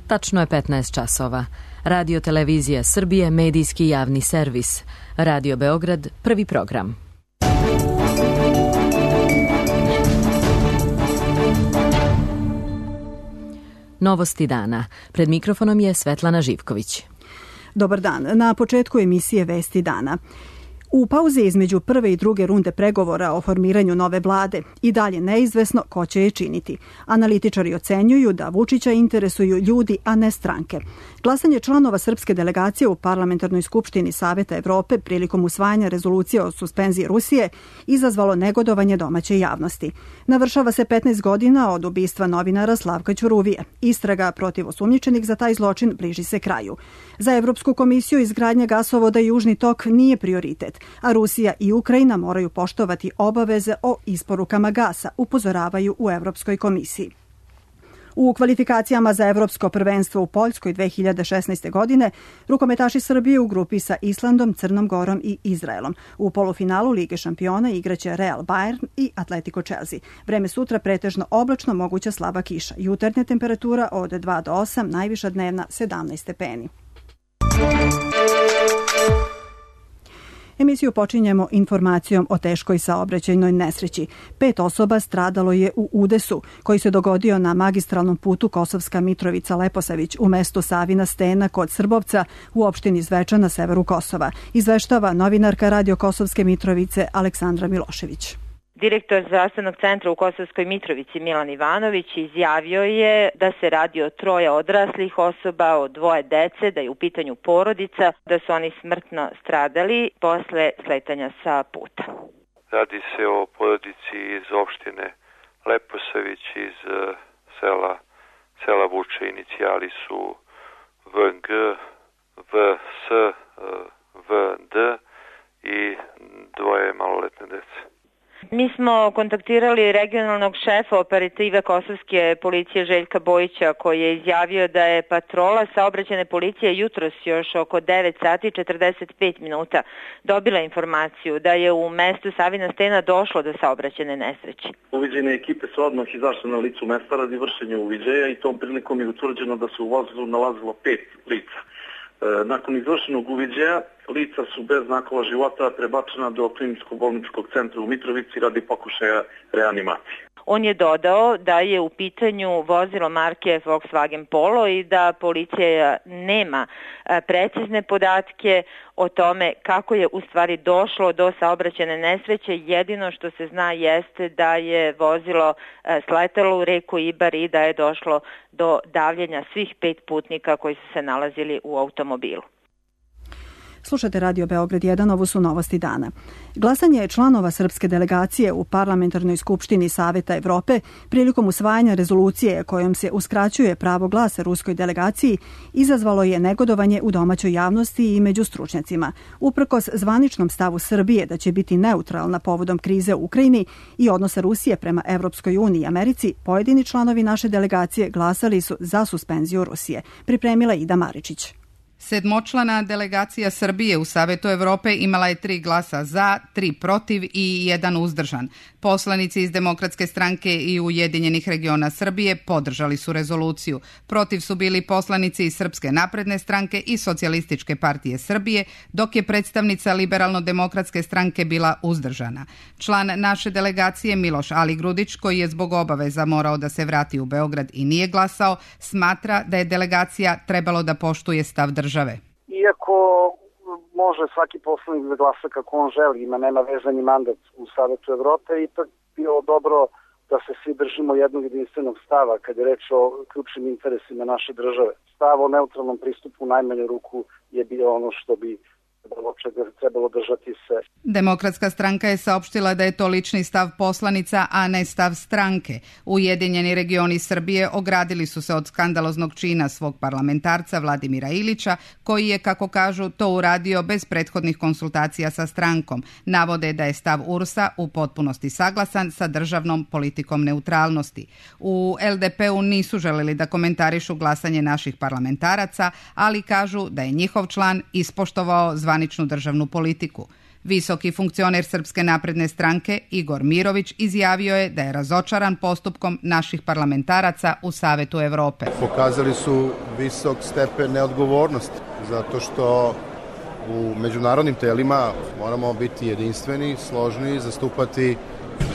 Tačno je 15 časova. Radio Televizija Srbije, medijski javni servis. Radio Beograd, prvi program. Novosti dana. Pred mikrofonom je Svetlana Živković. Dobar dan. Na početku emisije Vesti dana. U pauzi između prve i druge runde pregovora o formiranju nove vlade i dalje neizvesno ko će je činiti. Analitičari ocenjuju da Vučića interesuju ljudi, a ne stranke. Glasanje članova srpske delegacije u Parlamentarnoj skupštini Saveta Evrope prilikom usvajanja rezolucije o suspenziji Rusije izazvalo negodovanje domaće javnosti. Navršava se 15 godina od ubistva novinara Slavka Ćuruvije. Istraga protiv osumnjičenih za taj zločin bliži se kraju. Za Evropsku komisiju izgradnja gasovoda Južni tok nije prioritet, a Rusija i Ukrajina moraju poštovati obaveze o isporukama gasa, upozoravaju u Evropskoj komisiji. U kvalifikacijama za Evropsko prvenstvo u Poljskoj 2016. godine rukometaši Srbije u grupi sa Islandom, Crnom Gorom i Izraelom. U polufinalu Lige šampiona igraće Real Bayern i Atletico Chelsea. Vreme sutra pretežno oblačno, moguća slaba kiša. Jutarnja temperatura od 2 do 8, najviša dnevna 17 stepeni. Emisiju počinjemo informacijom o teškoj saobraćajnoj nesreći. 5 osoba stradalo je u udesu koji se dogodio na magistralnom putu Kosovska Mitrovica-Leposavić u mestu Savina Stena kod Srbovca u opštini Zvečan na severu Kosova. Izveštava novinarka Radio Kosovske Mitrovice Aleksandra Milošević. Direktor zdravstvenog centra u Kosovskoj Mitrovici Milan Ivanović izjavio je da se radi o 3 odraslih osoba, o 2 dece, da je u pitanju porodica, da su oni smrtno stradali posle sletanja sa puta. Radi se o porodici iz opštine Leposavić, iz sela Vuče. Inicijali su VG, VS, VD i 2 maloletne dece. Mi smo kontaktirali regionalnog šefa operative Kosovske policije Željka Bojića, koji je izjavio da je patrola saobraćajne policije jutros još oko 9 sati 45 minuta dobila informaciju da je u mestu Savina Stena došlo do saobraćajne nesreće. Uviđene ekipe su odmah izašle na licu mesta radi vršenja uviđaja i tom prilikom je utvrđeno da se u vozilu nalazilo 5 lica. Nakon izvršenog uviđaja, lica su bez znakova života prebačena do kliničko-bolničkog centra u Mitrovici radi pokušaja reanimacije. On je dodao da je u pitanju vozilo marke Volkswagen Polo i da policija nema precizne podatke o tome kako je u stvari došlo do saobraćajne nesreće. Jedino što se zna jeste da je vozilo sletalo u reku Ibar i da je došlo do davljenja svih 5 putnika koji su se nalazili u automobilu. Slušate Radio Beograd 1, ovo su novosti dana. Glasanje članova srpske delegacije u Parlamentarnoj skupštini Saveta Evrope prilikom usvajanja rezolucije kojom se uskraćuje pravo glasa ruskoj delegaciji izazvalo je negodovanje u domaćoj javnosti i među stručnjacima. Uprkos zvaničnom stavu Srbije da će biti neutralna povodom krize u Ukrajini i odnosa Rusije prema Evropskoj uniji i Americi, pojedini članovi naše delegacije glasali su za suspenziju Rusije. Pripremila Ida Maričić. 7-člana delegacija Srbije u Savetu Evrope imala je 3 glasa za, 3 protiv i 1 uzdržan. Poslanici iz Demokratske stranke i Ujedinjenih regiona Srbije podržali su rezoluciju. Protiv su bili poslanici iz Srpske napredne stranke i Socijalističke partije Srbije, dok je predstavnica Liberalno-demokratske stranke bila uzdržana. Član naše delegacije Miloš Aligrudić, koji je zbog obaveza morao da se vrati u Beograd i nije glasao, smatra da je delegacija trebalo da poštuje stav države. Iako može svaki poslanik da glasa kako on želi, nema vezani mandat u Savetu Evrope, ipak bilo dobro da se svi držimo jednog jedinstvenog stava kad je reč o ključnim interesima naše države. Stav o neutralnom pristupu u najmanju ruku je bio ono što bi trebalo držati se. Demokratska stranka je saopštila da je to lični stav poslanica, a ne stav stranke. Ujedinjeni regioni Srbije ogradili su se od skandaloznog čina svog parlamentarca Vladimira Ilića, koji je, kako kažu, to uradio bez prethodnih konsultacija sa strankom. Navode da je stav URS-a u potpunosti saglasan sa državnom politikom neutralnosti. U LDP-u nisu želeli da komentarišu glasanje naših parlamentaraca, ali kažu da je njihov član ispoštovao zvaničnu državnu politiku. Visoki funkcioner Srpske napredne stranke Igor Mirović izjavio je da je razočaran postupkom naših parlamentaraca u Savetu Evrope. Pokazali su visok stepen neodgovornosti zato što u međunarodnim telima moramo biti jedinstveni, složni, zastupati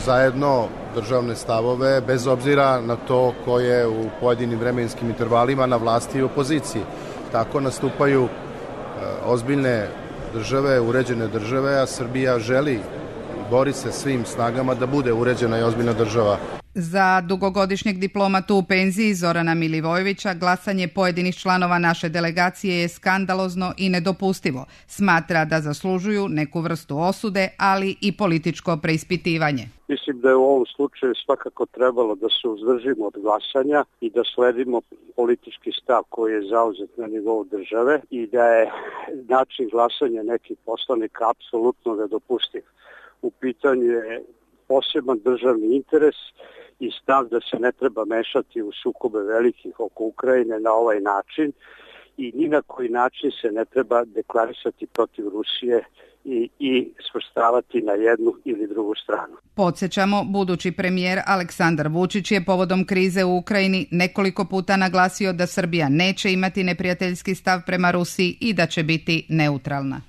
zajedno državne stavove bez obzira na to ko je u pojedinim vremenskim intervalima na vlasti i opoziciji. Tako nastupaju ozbiljne države, uređene države, a Srbija želi i bori se svim snagama da bude uređena i ozbiljna država. Za dugogodišnjeg diplomatu u penziji Zorana Milivojevića glasanje pojedinih članova naše delegacije je skandalozno i nedopustivo. Smatra da zaslužuju neku vrstu osude, ali i političko preispitivanje. Mislim da je u ovom slučaju svakako trebalo da se uzdržimo od glasanja i da sledimo politički stav koji je zauzet na nivou države i da je način glasanja nekih poslanika apsolutno nedopustiv. U pitanju je poseban državni interes i stav da se ne treba mešati u sukobe velikih oko Ukrajine na ovaj način i ni na koji način se ne treba deklarisati protiv Rusije i svrstavati na jednu ili drugu stranu. Podsjećamo, budući premijer Aleksandar Vučić je povodom krize u Ukrajini nekoliko puta naglasio da Srbija neće imati neprijateljski stav prema Rusiji i da će biti neutralna.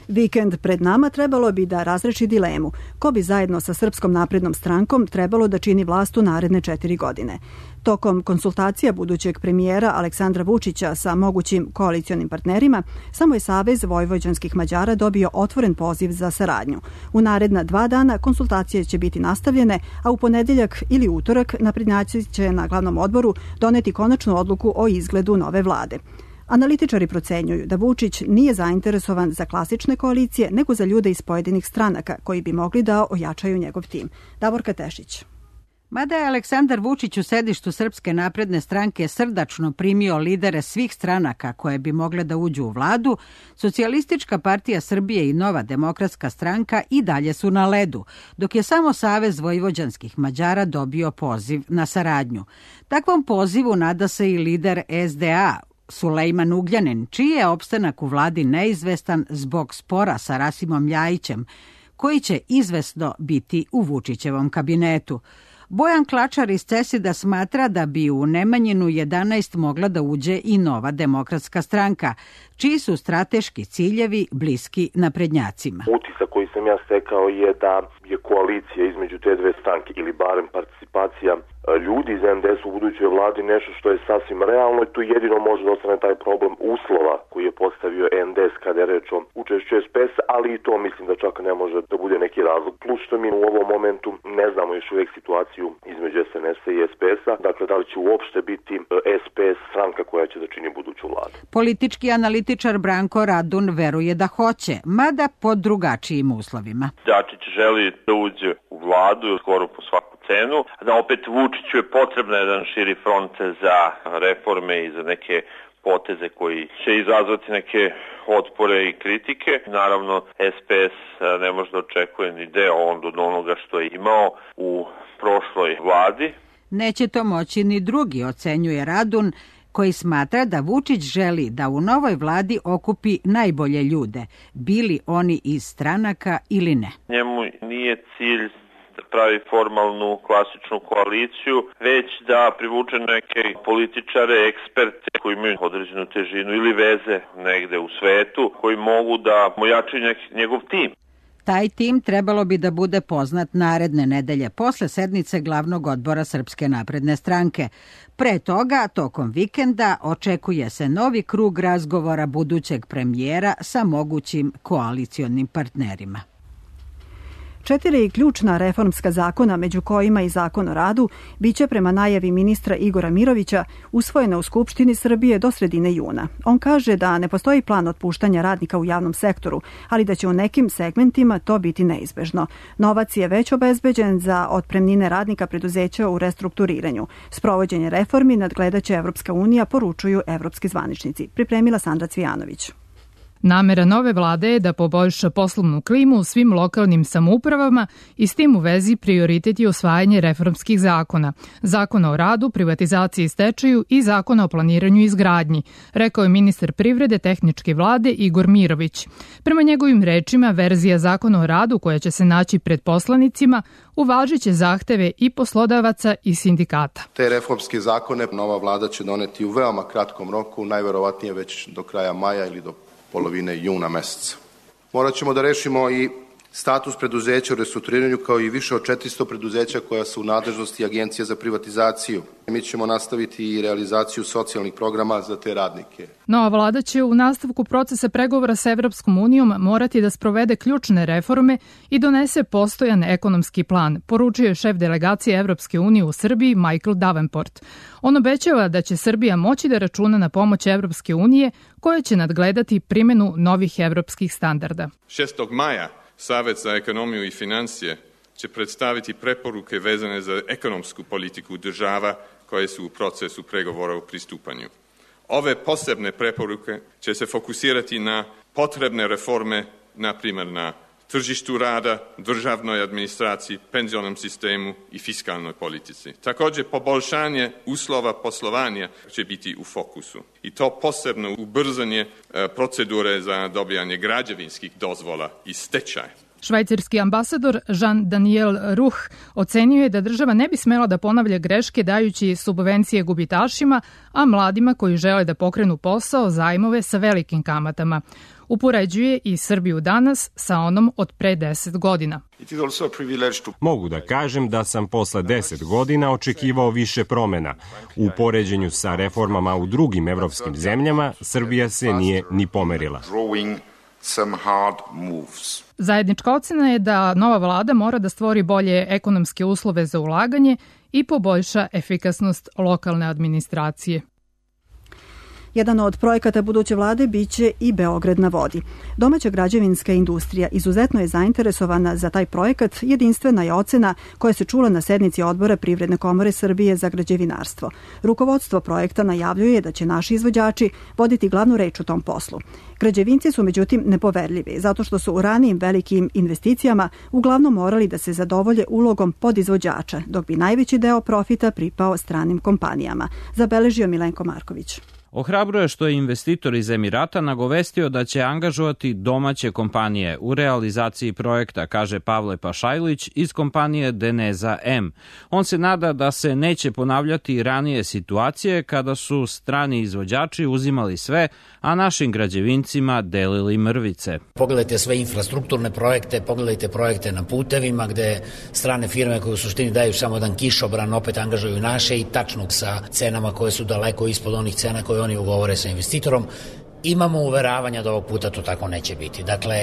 Vikend pred nama trebalo bi da razreši dilemu ko bi zajedno sa Srpskom naprednom strankom trebalo da čini vlast u naredne 4 godine. Tokom konsultacija budućeg premijera Aleksandra Vučića sa mogućim koalicionim partnerima, samo je Savez vojvođanskih Mađara dobio otvoren poziv za saradnju. U naredna 2 dana konsultacije će biti nastavljene, a u ponedeljak ili utorak naprednjaci će na glavnom odboru doneti konačnu odluku o izgledu nove vlade. Analitičari procenjuju da Vučić nije zainteresovan za klasične koalicije, nego za ljude iz pojedinih stranaka koji bi mogli da ojačaju njegov tim. Davorka Tešić. Mada je Aleksandar Vučić u sedištu Srpske napredne stranke srdačno primio lidere svih stranaka koje bi mogle da uđu u vladu, Socijalistička partija Srbije i Nova demokratska stranka i dalje su na ledu, dok je samo Savez vojvođanskih Mađara dobio poziv na saradnju. Takvom pozivu nada se i lider SDA, Sulejman Ugljanin, čiji je opstanak u vladi neizvestan zbog spora sa Rasimom Ljajićem, koji će izvesno biti u Vučićevom kabinetu. Bojan Klačar iz CESID-a smatra da bi u Nemanjinu 11 mogla da uđe i Nova demokratska stranka, čiji su strateški ciljevi bliski naprednjacima. Utisak koji sam ja stekao je da je koalicija između te dve stranke ili barem participacija ljudi iz NDS u budućoj vladi nešto što je sasvim realno i tu jedino može da ostane taj problem uslova koji je postavio NDS kada je reč o učešću SPS, ali i to mislim da čak ne može da bude neki razlog. Plus što mi u ovom momentu ne znamo još uvijek situaciju između SNS-a i SPS-a, dakle da li će uopšte biti SPS stranka koja će da čini buduću vladu. Politički analitičar Branko Radun veruje da hoće, mada pod drugačijim uslovima. Dačić želi da uđe u vladu skoro po svaku cenu, da opet Vučiću je potrebno jedan širi front za reforme i za neke poteze koji će izazvati neke otpore i kritike. Naravno, SPS ne može da očekuje ni deo od onoga što je imao u prošloj vladi. Neće to moći ni drugi, ocenjuje Radun, koji smatra da Vučić želi da u novoj vladi okupi najbolje ljude, bili oni iz stranaka ili ne. Njemu nije cilj da pravi formalnu klasičnu koaliciju, već da privuče neke političare, eksperte koji imaju određenu težinu ili veze negde u svetu, koji mogu da ojačaju njegov tim. Taj tim trebalo bi da bude poznat naredne nedelje posle sednice glavnog odbora Srpske napredne stranke. Pre toga, tokom vikenda, očekuje se novi krug razgovora budućeg premijera sa mogućim koalicionim partnerima. 4 ključna reformska zakona, među kojima i Zakon o radu, biće prema najavi ministra Igora Mirovića usvojena u Skupštini Srbije do sredine juna. On kaže da ne postoji plan otpuštanja radnika u javnom sektoru, ali da će u nekim segmentima to biti neizbežno. Novac je već obezbeđen za otpremnine radnika preduzeća u restrukturiranju. Sprovođenje reformi nadgledaće Evropska unija, poručuju evropski zvaničnici. Pripremila Sandra Cvijanović. Namera nove vlade je da poboljša poslovnu klimu u svim lokalnim samoupravama i s tim u vezi prioritet je usvajanje reformskih zakona. Zakona o radu, privatizaciji i stečaju i zakona o planiranju i izgradnji, rekao je ministar privrede tehničke vlade Igor Mirović. Prema njegovim rečima, verzija zakona o radu koja će se naći pred poslanicima uvažiće zahteve i poslodavaca i sindikata. Te reformske zakone nova vlada će doneti u veoma kratkom roku, najverovatnije već do kraja maja ili do polovine juna meseca. Morat ćemo da rešimo i status preduzeća u restrukturiranju kao i više od 400 preduzeća koja su u nadležnosti Agencije za privatizaciju. Mi ćemo nastaviti i realizaciju socijalnih programa za te radnike. Nova vlada će u nastavku procesa pregovora sa Evropskom unijom morati da sprovede ključne reforme i donese postojan ekonomski plan, poručio je šef delegacije Evropske unije u Srbiji Michael Davenport. On obećava da će Srbija moći da računa na pomoć Evropske unije koja će nadgledati primjenu novih evropskih standarda. 6. maja Savet za ekonomiju i financije će predstaviti preporuke vezane za ekonomsku politiku država koje su u procesu pregovora o pristupanju. Ove posebne preporuke će se fokusirati na potrebne reforme, na primjer na tržištu rada, državnoj administraciji, penzionom sistemu i fiskalnoj politici. Također, poboljšanje uslova poslovanja će biti u fokusu. I to posebno ubrzanje procedure za dobijanje građevinskih dozvola i stečaj. Švajcarski ambasador Jean-Daniel Ruch ocenio je da država ne bi smela da ponavlja greške dajući subvencije gubitašima, a mladima koji žele da pokrenu posao zajmove sa velikim kamatama. Upoređuje i Srbiju danas sa onom od pre 10 godina. Mogu da kažem da sam posle 10 godina očekivao više promena. U poređenju sa reformama u drugim evropskim zemljama, Srbija se nije ni pomerila. Zajednička ocena je da nova vlada mora da stvori bolje ekonomske uslove za ulaganje i poboljša efikasnost lokalne administracije. Jedan od projekata buduće vlade biće i Beograd na vodi. Domaća građevinska industrija izuzetno je zainteresovana za taj projekat, jedinstvena je ocena koja se čula na sednici odbora Privredne komore Srbije za građevinarstvo. Rukovodstvo projekta najavljuje da će naši izvođači voditi glavnu reč u tom poslu. Građevinci su međutim nepoverljivi, zato što su u ranijim velikim investicijama uglavnom morali da se zadovolje ulogom podizvođača, dok bi najveći deo profita pripao stranim kompanijama, zabeležio Milenko Marković. Ohrabruje što je investitor iz Emirata nagovestio da će angažovati domaće kompanije u realizaciji projekta, kaže Pavle Pašajlić iz kompanije Deneza M. On se nada da se neće ponavljati ranije situacije kada su strani izvođači uzimali sve, a našim građevincima delili mrvice. Pogledajte sve infrastrukturne projekte, pogledajte projekte na putevima gde strane firme koje u suštini daju samo jedan kišobran opet angažuju naše i tačno sa cenama koje su daleko ispod onih cena koje oni ugovore sa investitorom. Imamo uveravanja da ovog puta to tako neće biti. Dakle,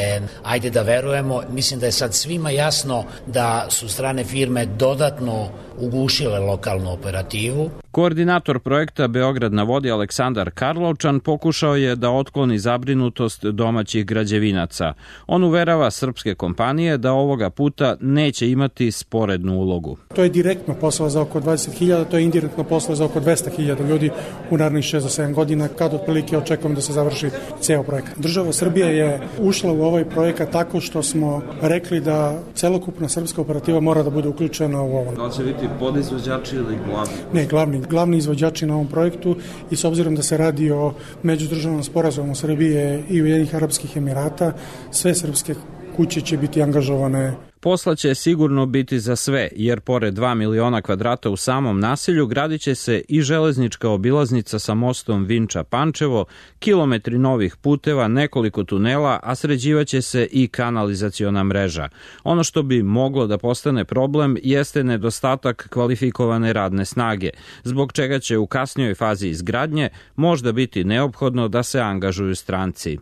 ajde da verujemo. Mislim da je sad svima jasno da su strane firme dodatno ugušile lokalnu operativu. Koordinator projekta Beograd na vodi Aleksandar Karlovčan pokušao je da otkloni zabrinutost domaćih građevinaca. On uverava srpske kompanije da ovoga puta neće imati sporednu ulogu. To je direktno posao za oko 20.000, to je indirektno posao za oko 200.000 ljudi u narednih 6 do 7 godina, kad otprilike očekujemo da se završi ceo projekat. Država Srbija je ušla u ovaj projekat tako što smo rekli da celokupna srpska operativa mora da bude uključena u ovo. Da li će biti podizvođači ili glavni? Ne, glavni izvođači na ovom projektu i s obzirom da se radi o međudržavnom sporazumu Srbije i Ujedinjenih Arapskih Emirata, sve srpske kuće će biti angažovane. Posla će sigurno biti za sve, jer pored 2 miliona kvadrata u samom naselju gradit će se i železnička obilaznica sa mostom Vinča-Pančevo, kilometri novih puteva, nekoliko tunela, a sređivaće se i kanalizaciona mreža. Ono što bi moglo da postane problem jeste nedostatak kvalifikovane radne snage, zbog čega će u kasnijoj fazi izgradnje možda biti neophodno da se angažuju stranci.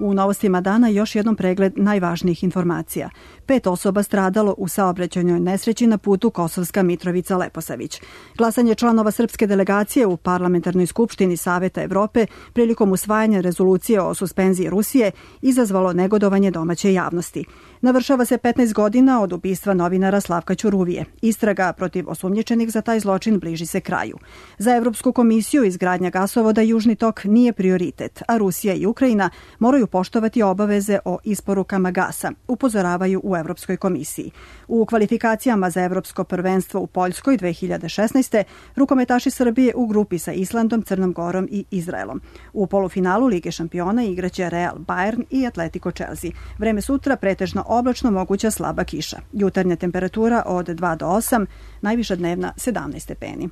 U novostima dana još jednom pregled najvažnijih informacija. 5 osoba stradalo u saobraćajnoj nesreći na putu Kosovska Mitrovica-Leposavić. Glasanje članova srpske delegacije u Parlamentarnoj skupštini Saveta Evrope prilikom usvajanja rezolucije o suspenziji Rusije izazvalo negodovanje domaće javnosti. Navršava se 15 godina od ubistva novinara Slavka Ćuruvije. Istraga protiv osumnjičenih za taj zločin bliži se kraju. Za Evropsku komisiju izgradnja gasovoda Južni tok nije prioritet, a Rusija i Ukrajina moraju poštovati obaveze o isporukama gasa, upozoravaju u Evropskoj komisiji. U kvalifikacijama za Evropsko prvenstvo u Poljskoj 2016. rukometaši Srbije u grupi sa Islandom, Crnom Gorom i Izraelom. U polufinalu Lige šampiona igraće Real Bayern i Atletico Chelsea. Vreme sutra pretežno oblačno, moguća slaba kiša. Jutarnja temperatura od 2 do 8, najviša dnevna 17 stepeni.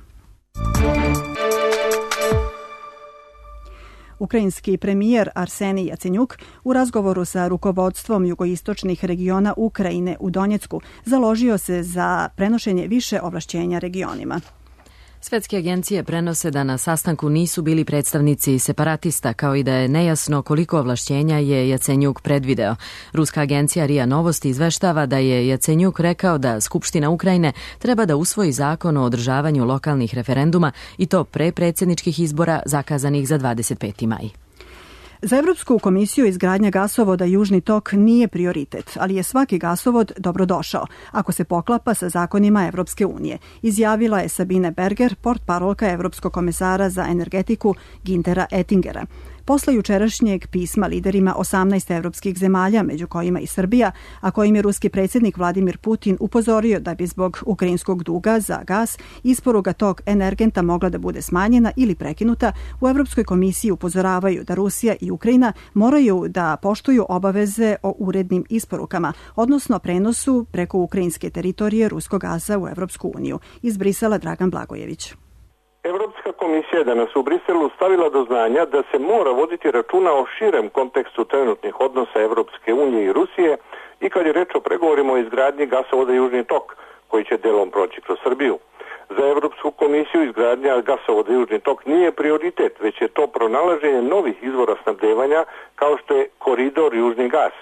Ukrajinski premijer Arsenij Jacenjuk u razgovoru sa rukovodstvom jugoistočnih regiona Ukrajine u Donjecku založio se za prenošenje više ovlašćenja regionima. Svetske agencije prenose da na sastanku nisu bili predstavnici separatista, kao i da je nejasno koliko ovlašćenja je Jacenjuk predvideo. Ruska agencija RIA Novosti izveštava da je Jacenjuk rekao da Skupština Ukrajine treba da usvoji zakon o održavanju lokalnih referenduma i to pre predsjedničkih izbora zakazanih za 25. maj. Za Evropsku komisiju izgradnja gasovoda Južni tok nije prioritet, ali je svaki gasovod dobrodošao, ako se poklapa sa zakonima Evropske unije, izjavila je Sabine Berger, portparolka Evropskog komesara za energetiku Güntera Oettingera. Posle jučerašnjeg pisma liderima 18 evropskih zemalja, među kojima i Srbija, a kojim je ruski predsjednik Vladimir Putin upozorio da bi zbog ukrajinskog duga za gas isporuka tog energenta mogla da bude smanjena ili prekinuta, u Evropskoj komisiji upozoravaju da Rusija i Ukrajina moraju da poštuju obaveze o urednim isporukama, odnosno prenosu preko ukrajinske teritorije ruskog gasa u Evropsku uniju. Iz Brisela Dragan Blagojević. Evropska komisija je danas u Briselu stavila do znanja da se mora voditi računa o širem kontekstu trenutnih odnosa Evropske unije i Rusije i kad je reč o pregovorima o izgradnji gasovoda Južni tok, koji će delom proći kroz Srbiju. Za Evropsku komisiju izgradnja gasovoda Južni tok nije prioritet, već je to pronalaženje novih izvora snabdevanja kao što je koridor Južni gas.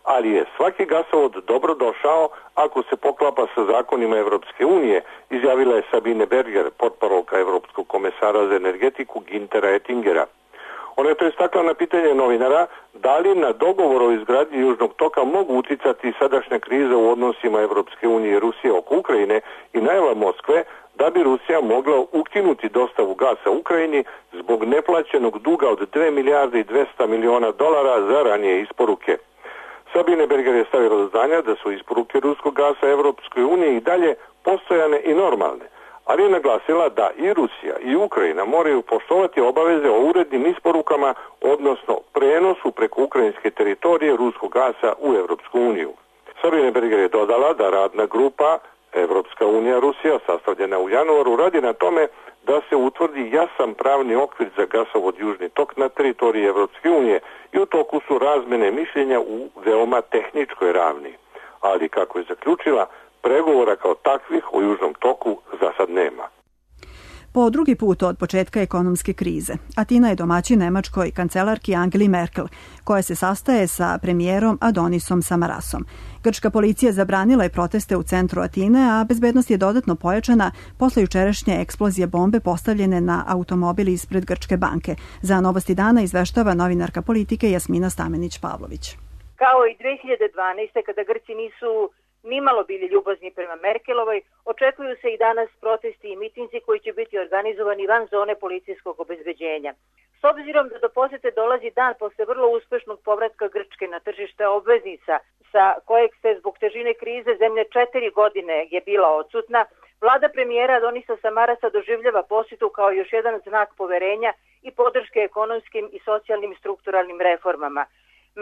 Ali je svaki gasovod dobro došao ako se poklapa sa zakonima Evropske unije, izjavila je Sabine Berger, portparolka Evropskog komesara za energetiku Güntera Oettingera. Ona je to istakla na pitanje novinara da li na dogovor o izgradnji Južnog toka mogu uticati sadašnja kriza u odnosima Evropske unije i Rusije oko Ukrajine i najava Moskve da bi Rusija mogla ukinuti dostavu gasa Ukrajini zbog neplaćenog duga od 2 milijarde i 200 miliona dolara za ranije isporuke. Sabine Berger je stavila do znanja da su isporuke ruskog gasa Evropskoj uniji i dalje postojane i normalne, ali je naglasila da i Rusija i Ukrajina moraju poštovati obaveze o urednim isporukama, odnosno prenosu preko ukrajinske teritorije ruskog gasa u Evropsku uniju. Sabine Berger je dodala da radna grupa Evropska unija Rusija, sastavljena u januaru, radi na tome da se utvrdi jasan pravni okvir za gasovod Južni tok na teritoriji Evropske unije i u toku su razmene mišljenja u veoma tehničkoj ravni. Ali, kako je zaključila, pregovora kao takvih o Južnom toku za sad nema. Po drugi put od početka ekonomske krize, Atina je domaćin nemačkoj kancelarki Angeli Merkel, koja se sastaje sa premijerom Adonisom Samarasom. Grčka policija zabranila je proteste u centru Atine, a bezbednost je dodatno pojačana posle jučerašnje eksplozije bombe postavljene na automobil ispred Grčke banke. Za Novosti dana izveštava novinarka politike Jasmina Stamenić-Pavlović. Kao i 2012. kada Grci nisu nimalo bili ljubazni prema Merkelovoj, očekuju se i danas protesti i mitinzi koji će biti organizovani van zone policijskog obezbeđenja. S obzirom da do posete dolazi dan posle vrlo uspešnog povratka Grčke na tržište obveznica, sa kojeg se zbog težine krize zemlje 4 godine je bila odsutna, vlada premijera Adonisa Samarasa doživljava posetu kao još jedan znak poverenja i podrške ekonomskim i socijalnim strukturalnim reformama.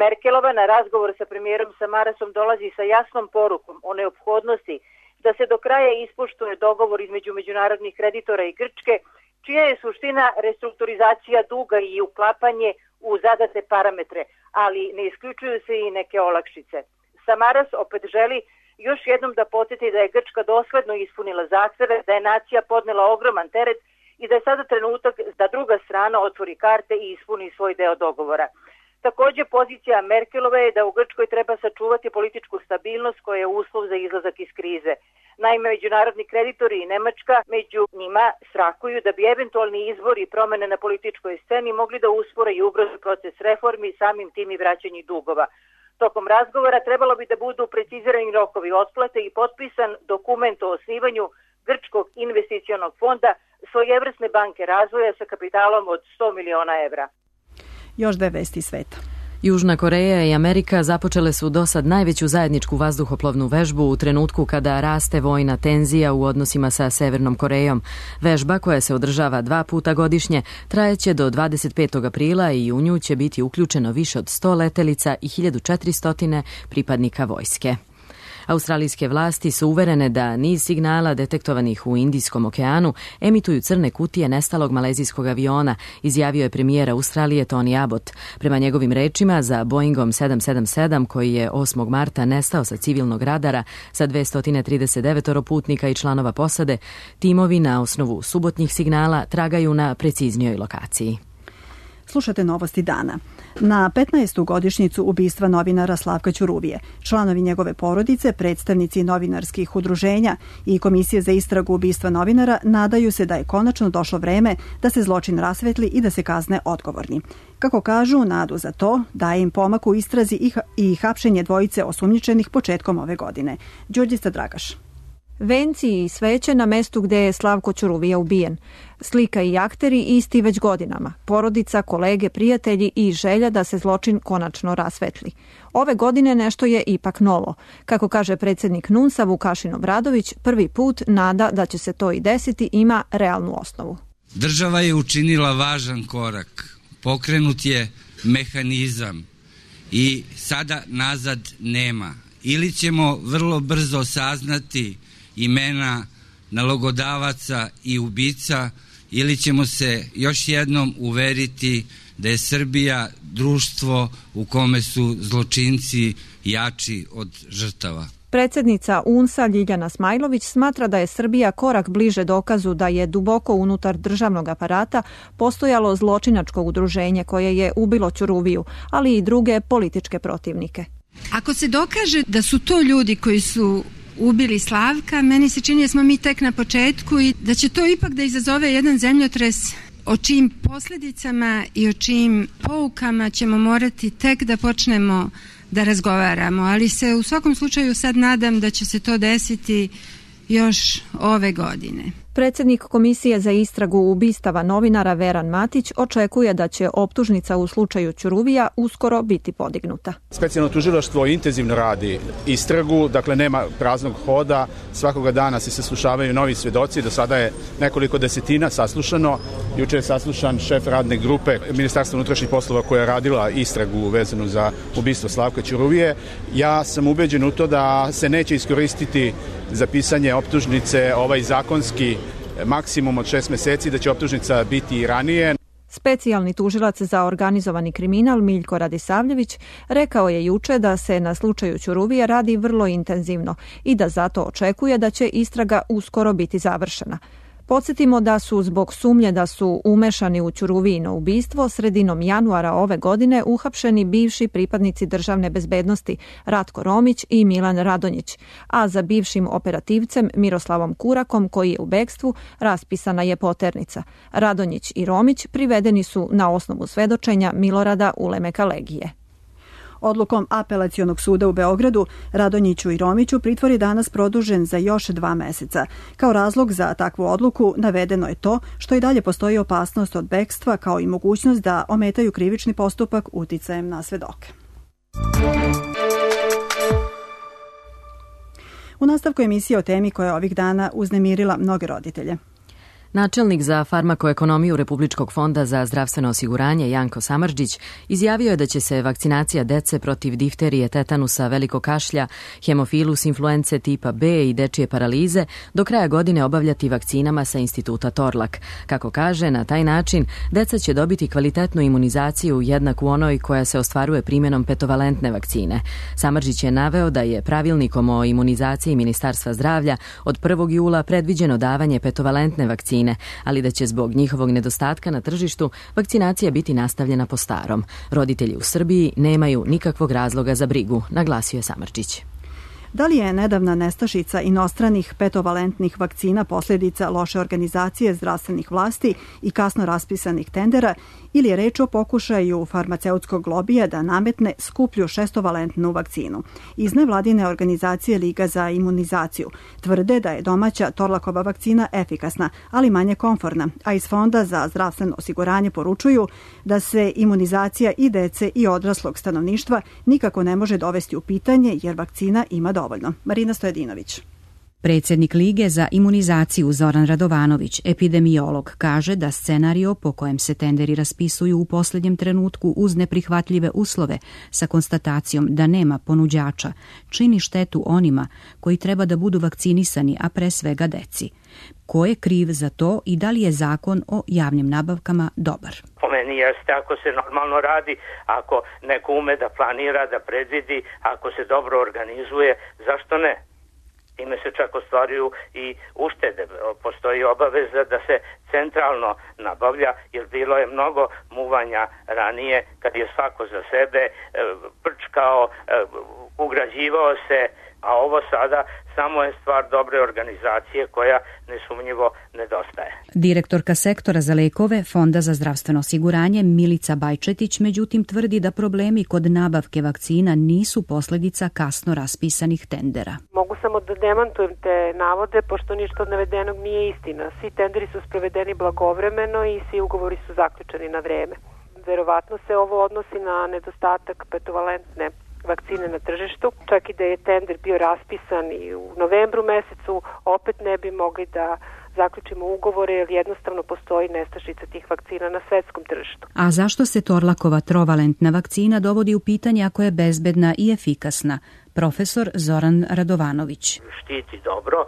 Merkelova na razgovor sa premijerom Samarasom dolazi sa jasnom porukom o neophodnosti da se do kraja ispoštuje dogovor između međunarodnih kreditora i Grčke, čija je suština restrukturizacija duga i uklapanje u zadate parametre, ali ne isključuju se i neke olakšice. Samaras opet želi još jednom da podsjeti da je Grčka dosledno ispunila zahteve, da je nacija podnela ogroman teret i da je sada trenutak da druga strana otvori karte i ispuni svoj deo dogovora. Takođe, pozicija Merkelove je da u Grčkoj treba sačuvati političku stabilnost koja je uslov za izlazak iz krize. Naime, međunarodni kreditori i Nemačka među njima strahuju da bi eventualni izbori i promene na političkoj sceni mogli da uspore i ubrze proces reformi, samim tim i vraćanje dugova. Tokom razgovora trebalo bi da budu precizirani rokovi otplate i potpisan dokument o osnivanju Grčkog investicionog fonda, svojevrsne banke razvoja sa kapitalom od 100 miliona evra. Još dve vesti sveta. Južna Koreja i Amerika započele su dosad najveću zajedničku vazduhoplovnu vežbu u trenutku kada raste vojna tenzija u odnosima sa Severnom Korejom. Vežba, koja se održava 2 puta godišnje, trajeće do 25. aprila i u nju će biti uključeno više od 100 letelica i 1400 pripadnika vojske. Australijske vlasti su uverene da niz signala detektovanih u Indijskom okeanu emituju crne kutije nestalog malezijskog aviona, izjavio je premijer Australije Tony Abbott. Prema njegovim rečima, za Boeingom 777, koji je 8. marta nestao sa civilnog radara sa 239 putnika i članova posade, timovi na osnovu subotnjih signala tragaju na preciznijoj lokaciji. Slušate novosti dana. Na 15. godišnjicu ubistva novinara Slavka Ćuruvije, članovi njegove porodice, predstavnici novinarskih udruženja i Komisije za istragu ubistva novinara nadaju se da je konačno došlo vreme da se zločin rasvetli i da se kazne odgovorni. Kako kažu, nadu za to daje im pomak u istrazi i hapšenje dvojice osumnjičenih početkom ove godine. Đurđica Dragaš. Venci i sveće na mestu gde je Slavko Ćuruvija ubijen. Slika i akteri isti već godinama. Porodica, kolege, prijatelji i želja da se zločin konačno rasvetli. Ove godine nešto je ipak novo. Kako kaže predsjednik NUNS-a Vukašin Obradović, prvi put nada da će se to i desiti ima realnu osnovu. Država je učinila važan korak. Pokrenut je mehanizam i sada nazad nema. Ili ćemo vrlo brzo saznati imena nalogodavaca i ubica, ili ćemo se još jednom uveriti da je Srbija društvo u kome su zločinci jači od žrtava. Predsjednica UNS-a Ljiljana Smajlović smatra da je Srbija korak bliže dokazu da je duboko unutar državnog aparata postojalo zločinačko udruženje koje je ubilo Ćuruviju, ali i druge političke protivnike. Ako se dokaže da su to ljudi koji su ubili Slavka, meni se čini da smo mi tek na početku i da će to ipak da izazove jedan zemljotres o čijim posljedicama i o čijim poukama ćemo morati tek da počnemo da razgovaramo, ali se u svakom slučaju sad nadam da će se to desiti još ove godine. Predsjednik Komisije za istragu ubistava novinara Veran Matić očekuje da će optužnica u slučaju Ćuruvija uskoro biti podignuta. Specijalno tužilaštvo intenzivno radi istragu, dakle nema praznog hoda, svakoga dana se saslušavaju novi svedoci, do sada je nekoliko desetina saslušano. Juče je saslušan šef radne grupe Ministarstva unutrašnjih poslova koja je radila istragu vezanu za ubistvo Slavka Ćuruvije. Ja sam ubeđen u to da se neće iskoristiti za pisanje optužnice ovaj zakonski maksimum od 6 meseci, da će optužnica biti i ranije. Specijalni tužilac za organizovani kriminal Miljko Radisavljević rekao je juče da se na slučaju Ćuruvije radi vrlo intenzivno i da zato očekuje da će istraga uskoro biti završena. Podsjetimo da su zbog sumnje da su umešani u Ćuruvijino ubistvo sredinom januara ove godine uhapšeni bivši pripadnici državne bezbednosti Ratko Romić i Milan Radonjić, a za bivšim operativcem Miroslavom Kurakom, koji je u bekstvu, raspisana je poternica. Radonjić i Romić privedeni su na osnovu svedočenja Milorada Ulemeka Legije. Odlukom Apelacionog suda u Beogradu, Radonjiću i Romiću pritvor je danas produžen za još 2 meseca. Kao razlog za takvu odluku navedeno je to što i dalje postoji opasnost od bekstva, kao i mogućnost da ometaju krivični postupak uticajem na svedoke. U nastavku emisije o temi koja je ovih dana uznemirila mnoge roditelje. Načelnik za farmakoekonomiju Republičkog fonda za zdravstveno osiguranje Janko Samardžić izjavio je da će se vakcinacija dece protiv difterije, tetanusa, velikog kašlja, hemofilus influence tipa B i dečije paralize do kraja godine obavljati vakcinama sa instituta Torlak. Kako kaže, na taj način deca će dobiti kvalitetnu imunizaciju jednaku onoj koja se ostvaruje primjenom petovalentne vakcine. Samardžić je naveo da je pravilnikom o imunizaciji Ministarstva zdravlja od 1. jula predviđeno davanje petovalentne vakcine, ali da će zbog njihovog nedostatka na tržištu vakcinacija biti nastavljena po starom. Roditelji u Srbiji nemaju nikakvog razloga za brigu, naglasio je Samardžić. Da li je nedavna nestašica inostranih petovalentnih vakcina posljedica loše organizacije zdravstvenih vlasti i kasno raspisanih tendera ili je reč o pokušaju farmaceutskog lobija da nametne skuplju šestovalentnu vakcinu? Iz nevladine organizacije Liga za imunizaciju tvrde da je domaća Torlakova vakcina efikasna, ali manje komforna, a iz Fonda za zdravstveno osiguranje poručuju da se imunizacija i dece i odraslog stanovništva nikako ne može dovesti u pitanje jer vakcina ima dovoljno. Marina Stojedinović. Predsjednik Lige za imunizaciju Zoran Radovanović, epidemiolog, kaže da scenario po kojem se tenderi raspisuju u posljednjem trenutku uz neprihvatljive uslove sa konstatacijom da nema ponuđača čini štetu onima koji treba da budu vakcinisani, a pre svega deci. Ko je kriv za to i da li je zakon o javnim nabavkama dobar? Po meni jeste ako se normalno radi, ako neko ume da planira, da predvidi, ako se dobro organizuje, zašto ne? Time se čak ostvaruju i uštede. Postoji obaveza da se centralno nabavlja, jer bilo je mnogo muvanja ranije kad je svako za sebe prčkao, ugrađivao se, a ovo sada samo je stvar dobre organizacije koja nesumnjivo nedostaje. Direktorka sektora za lekove Fonda za zdravstveno osiguranje Milica Bajčetić međutim tvrdi da problemi kod nabavke vakcina nisu posljedica kasno raspisanih tendera. Mogu samo da demantujem te navode, pošto ništa od navedenog nije istina. Svi tenderi su sprovedeni blagovremeno i svi ugovori su zaključeni na vreme. Verovatno se ovo odnosi na nedostatak petovalentne vakcine na tržištu. Čak i da je tender bio raspisan i u novembru mesecu, opet ne bi mogli da zaključimo ugovore jer jednostavno postoji nestašica tih vakcina na svetskom tržištu. A zašto se Torlakova trovalentna vakcina dovodi u pitanje ako je bezbedna i efikasna? Profesor Zoran Radovanović. Štiti dobro,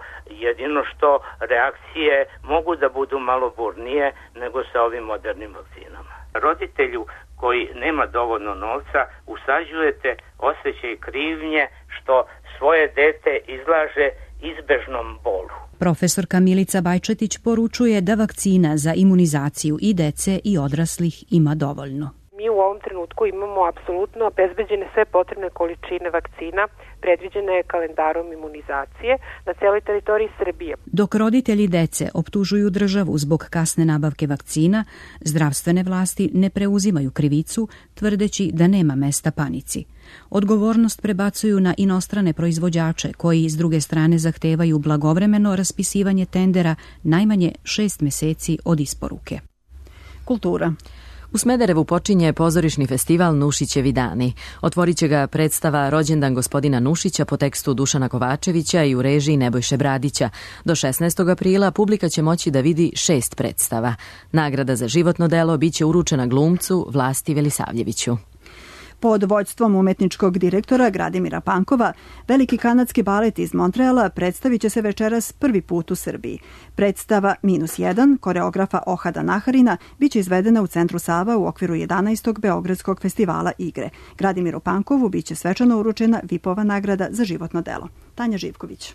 jedino što reakcije mogu da budu malo burnije nego sa ovim modernim vakcinama. Roditelju koji nema dovoljno novca usađujete osjećaj krivnje što svoje dete izlaže izbežnom bolu. Profesorka Milica Bajčetić poručuje da vakcina za imunizaciju i dece i odraslih ima dovoljno. Mi u ovom trenutku imamo apsolutno obezbeđene sve potrebne količine vakcina, predviđene kalendarom imunizacije na celoj teritoriji Srbije. Dok roditelji dece optužuju državu zbog kasne nabavke vakcina, zdravstvene vlasti ne preuzimaju krivicu, tvrdeći da nema mesta panici. Odgovornost prebacuju na inostrane proizvođače koji s druge strane zahtevaju blagovremeno raspisivanje tendera najmanje 6 meseci od isporuke. Kultura. U Smederevu počinje pozorišni festival Nušićevi dani. Otvorit će ga predstava Rođendan gospodina Nušića po tekstu Dušana Kovačevića i u režiji Nebojše Bradića. Do 16. aprila publika će moći da vidi 6 predstava. Nagrada za životno delo biće uručena glumcu Vlasti Velisavljeviću. Pod vođstvom umetničkog direktora Gradimira Pankova, Veliki kanadski balet iz Montreala predstavit će se večeras prvi put u Srbiji. Predstava -1 koreografa Ohada Naharina biće izvedena u Centru Sava u okviru 11. Beogradskog festivala igre. Gradimiru Pankovu biće svečano uručena VIP-ova nagrada za životno delo. Tanja Živković.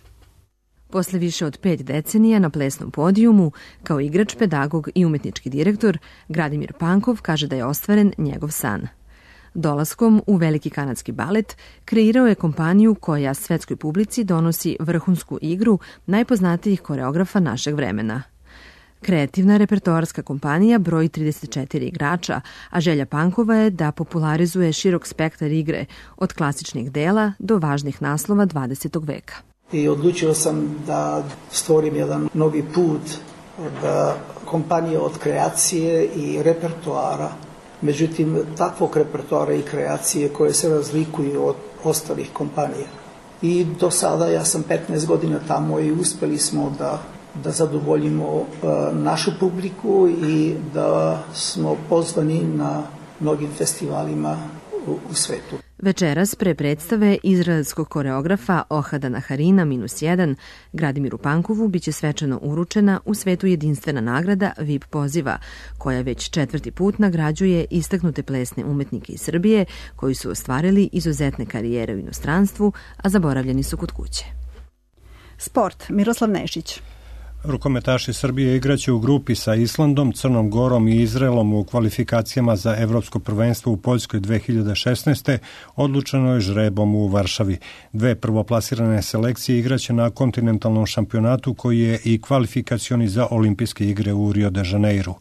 Posle više od 5 decenija na plesnom podijumu, kao igrač, pedagog i umetnički direktor, Gradimir Pankov kaže da je ostvaren njegov san. Dolaskom u Veliki kanadski balet kreirao je kompaniju koja svetskoj publici donosi vrhunsku igru najpoznatijih koreografa našeg vremena. Kreativna repertoarska kompanija broji 34 igrača, a želja Pankova je da popularizuje širok spektar igre, od klasičnih dela do važnih naslova 20. veka. I odlučio sam da stvorim jedan novi put, da kompanija od kreacije i repertoara, međutim, takvog repertoara i kreacije koje se razlikuju od ostalih kompanija. I do sada ja sam 15 godina tamo i uspeli smo da zadovoljimo našu publiku i da smo pozvani na mnogim festivalima u svetu. Večeras pre predstave izraelskog koreografa Ohada Naharina -1 Gradimiru Pankovu biće svečano uručena u svetu jedinstvena nagrada VIP poziva, koja već 4. put nagrađuje istaknute plesne umetnike iz Srbije koji su ostvarili izuzetne karijere u inostranstvu, a zaboravljeni su kod kuće. Sport. Miroslav Nešić. Rukometaši Srbije igraće u grupi sa Islandom, Crnom Gorom i Izraelom u kvalifikacijama za Evropsko prvenstvo u Poljskoj 2016. Odlučeno je žrebom u Varšavi. Dve prvoplasirane selekcije igraće na kontinentalnom šampionatu koji je i kvalifikacioni za olimpijske igre u Rio de Janeiru.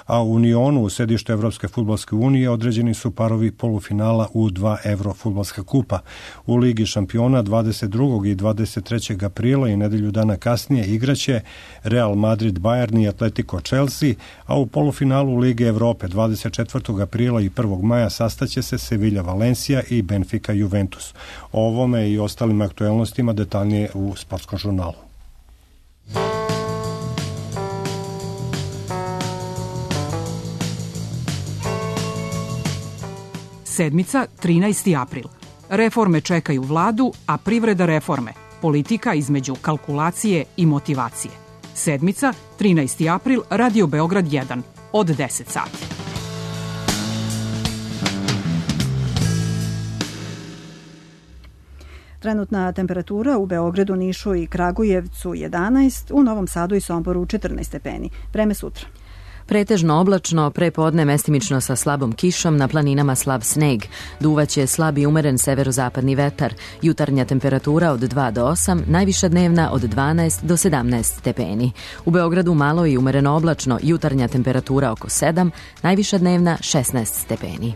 A u Unionu, u sedištu Evropske fudbalske unije, određeni su parovi polufinala u 2 Evrofudbalska kupa. U Ligi šampiona 22. i 23. aprila i nedelju dana kasnije igraće Real Madrid Bayern i Atletico Chelsea, a u polufinalu Lige Evrope 24. aprila i 1. maja sastaće se Sevilla Valencia i Benfica Juventus. O ovome i ostalim aktuelnostima detaljnije u Sportskom žurnalu. Sedmica, 13. april. Reforme čekaju vladu, a privreda reforme. Politika između kalkulacije i motivacije. Sedmica, 13. april, Radio Beograd 1, od 10 sati. Trenutna temperatura u Beogradu, Nišu i Kragujevcu 11, u Novom Sadu i Somboru 14 stepeni. Vreme sutra. Pretežno oblačno, prepodne mestimično sa slabom kišom, na planinama slab sneg. Duvaće slab i umeren severozapadni vetar. Jutarnja temperatura od 2 do 8, najviša dnevna od 12 do 17 stepeni. U Beogradu malo i umereno oblačno, jutarnja temperatura oko 7, najviša dnevna 16 stepeni.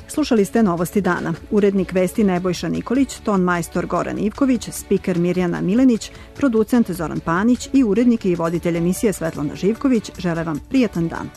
Slušali ste Novosti dana. Urednik vesti Nebojša Nikolić, ton majstor Goran Ivković, spiker Mirjana Milenić, producent Zoran Panić i urednik i voditelj emisije Svetlana Živković žele vam prijatan dan.